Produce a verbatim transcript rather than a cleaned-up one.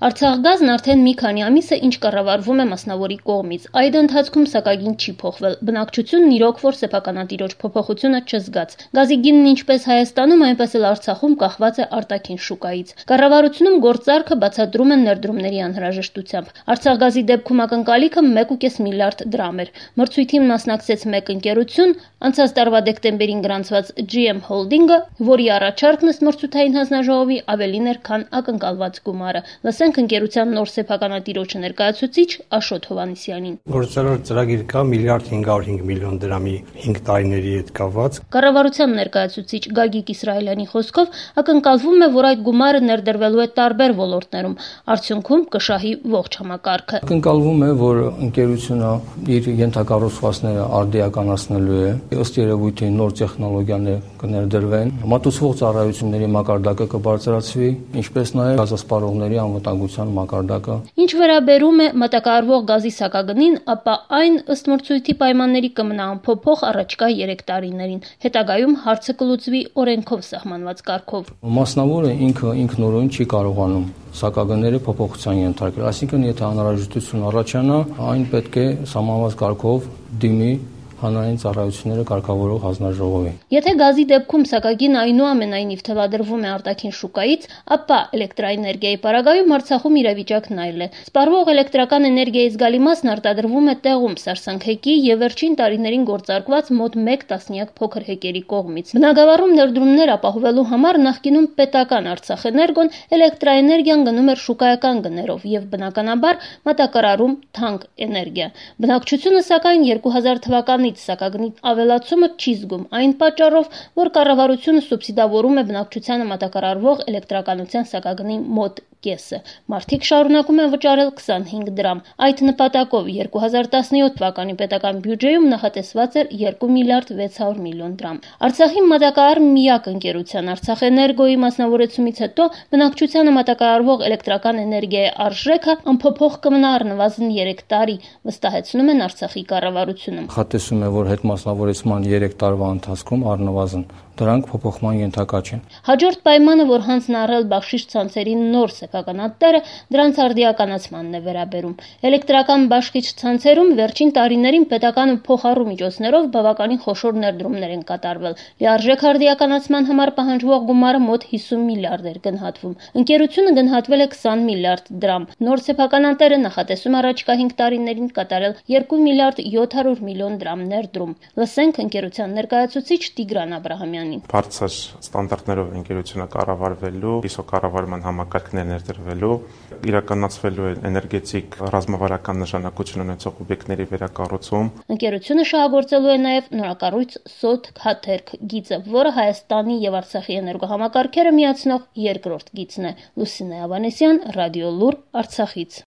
Արցախգազն արդեն մի քանի ամիս է ինչ կառավարվում է մասնավորի կողմից։ Այդ ընթացքում սակագին չի փոխվել։ Բնակչությունն իրոք որ սեփականատիրոջ փոփոխությունը չզգաց։ Գազի գինն ինչպես Հայաստանում, այնպես էլ Արցախում կախված է արտաքին շուկայից։ Կառավարությունում գործարքը բացատրում են ներդրումների անհրաժեշտությամբ։ Արցախգազի դեպքում ակնկալիքը մեկ կόμμα պենս միլիարդ դրամ էր։ Մրցույթին մասնակցեց մեկ ընկերություն, անցած տարվա դեկտեմբերին գրանցված G M Holding-ը, որի առաջարկն ըստ մրցութային հանձնաժողովի ավելին էր, քան ակնկալված գումարը։ Լսենք ընկերության նոր սեփականատիրոջը ներկայացուցիչ Աշոտ Հովհաննիսյանին։ Գործարար ծրագիր կա միլիարդ հինգ հարյուր հինգ միլիոն դրամի հինգ տարիների հետ կապված։ Կառավարության ներկայացուցիչ Գագիկ Իսրայելյանի խոսքով ակնկալվում է, որ այդ գումարը ներդրվելու է տարբեր ոլորտներում, արդյունքում կշահի ողջ համակարգը։ Ակնկալվում է, որ ընկերությունը իր ենթակառուցվածքները արդիականացնելու է, ըստ երևույթի նոր տեխնոլոգիաներ կներդրվեն, մատուցվող ծառայությունների մակարդակը կբարձրացվի, ինչպես նաև գազասպառողների անվտանգության մակարդակը։ Ինչ վերաբերում է մատակարարվող գազի սակագնին, ապա այն ըստ մրցույթի պայմանների կմնա անփոփոխ առաջկա երեք տարիներին։ Հետագայում հարցը կլուծվի օրենքով սահմանված կարգով։ Մասնավորը ինքը ինքնուրույն չի կարողանում սակագները փոփոխության ենթարկել, այսինքն եթե անհրաժեշտություն առաջանա, այն պետք է սահմանված կարգով դիմի հանրային ծառայությունները կարգավորող հանձնաժողովի։ Եթե գազի դեպքում սակագին այնուամենայնիվ թելադրվում է արտաքին շուկայից, ապա էլեկտրաէներգիայի պարագայում Արցախում իրավիճակն այլ է։ Սպառվող էլեկտրական էներգիայի զգալի մասն արտադրվում է տեղում սարսանքհեկի եւ վերջին տարիներին գործարկված մոտ մեկ տասնյակ փոքր հեկերի կողմից։ Բնագավառում ներդրումներ ապահովելու համար նախկինում պետական Արցախէներգոն էլեկտրաէներգիան գնում էր շուկայական գներով եւ բնականաբար մատակարարում թանկ էներգիա։ Բնակչությունը սակայն երկու հազար թվականից սակագնի ավելացումը չի զգում այն պատճառով, որ կառավարությունը սուբսիդավորում է բնակչությանը մատակարարվող էլեկտրականության սակագնի մոտ կեսը։ Մարդիկ շարունակում են վճարել քսանհինգ դրամ։ Այդ նպատակով երկու հազար տասնյոթ թվականի պետական բյուջեում նախատեսված էր երկու միլիարդ վեց հարյուր միլիոն դրամ։ Արցախի մատակարար միակ ընկերության Արցախէներգոյի մասնավորեցումից հետո բնակչությանը մատակարարվող էլեկտրական էներգիայի արժեքը անփոփոխ կմնա առնվազն երեք տարի, վստահեցնում են Արցախի կառավարությունը։ Հատեսում է, որ հետմասնավորեցման երեք տարվա ընթացքում առնվազն դրանք փոփոխման ենթակա չեն։ Հաջորդ պայմանը, որ հանձն առել բաշխիչ ցանցերի նոր սեփականատերը, դրանց արդիականացմանն է վերաբերում։ Էլեկտրական բաշխիչ ցանցերում վերջին տարիներին պետականը փոխառու միջոցներով բավականին խոշոր ներդրումներ են կատարվել։ Լիարժեք արդիականացման համար պահանջվող գումարը մոտ հիսուն միլիարդ էր գնահատվում։ Ընկերությունը գնահատվել է քսան միլիարդ դրամ։ Նոր սեփականատերը նախատեսում առաջիկա հինգ տարիներին կատարել երկու միլիարդ յոթ հարյուր միլիոն դրամ ներդրում։ Լսենք ընկերության ներկայացուցիչ Տիգրան Աբրահամյանին։ Բարձր ստանդարտներով ընկերությունը կառավարվելու, իսո կառավարման համակարգներ ներդրվելու, իրականացվելու է էներգետիկ ռազմավարական նշանակություն ունեցող օբյեկտների վերակառուցում։ Ընկերությունը շահագործելու է նաև նորակառույց Սոթ Քաթերք գիծը, որը Հայաստանի եւ Արցախի էներգոհամակարգերը միացնող երկրորդ գիծն է։ Լուսինե Ավանեսյան, Ռադիո Լուր, Արցախից։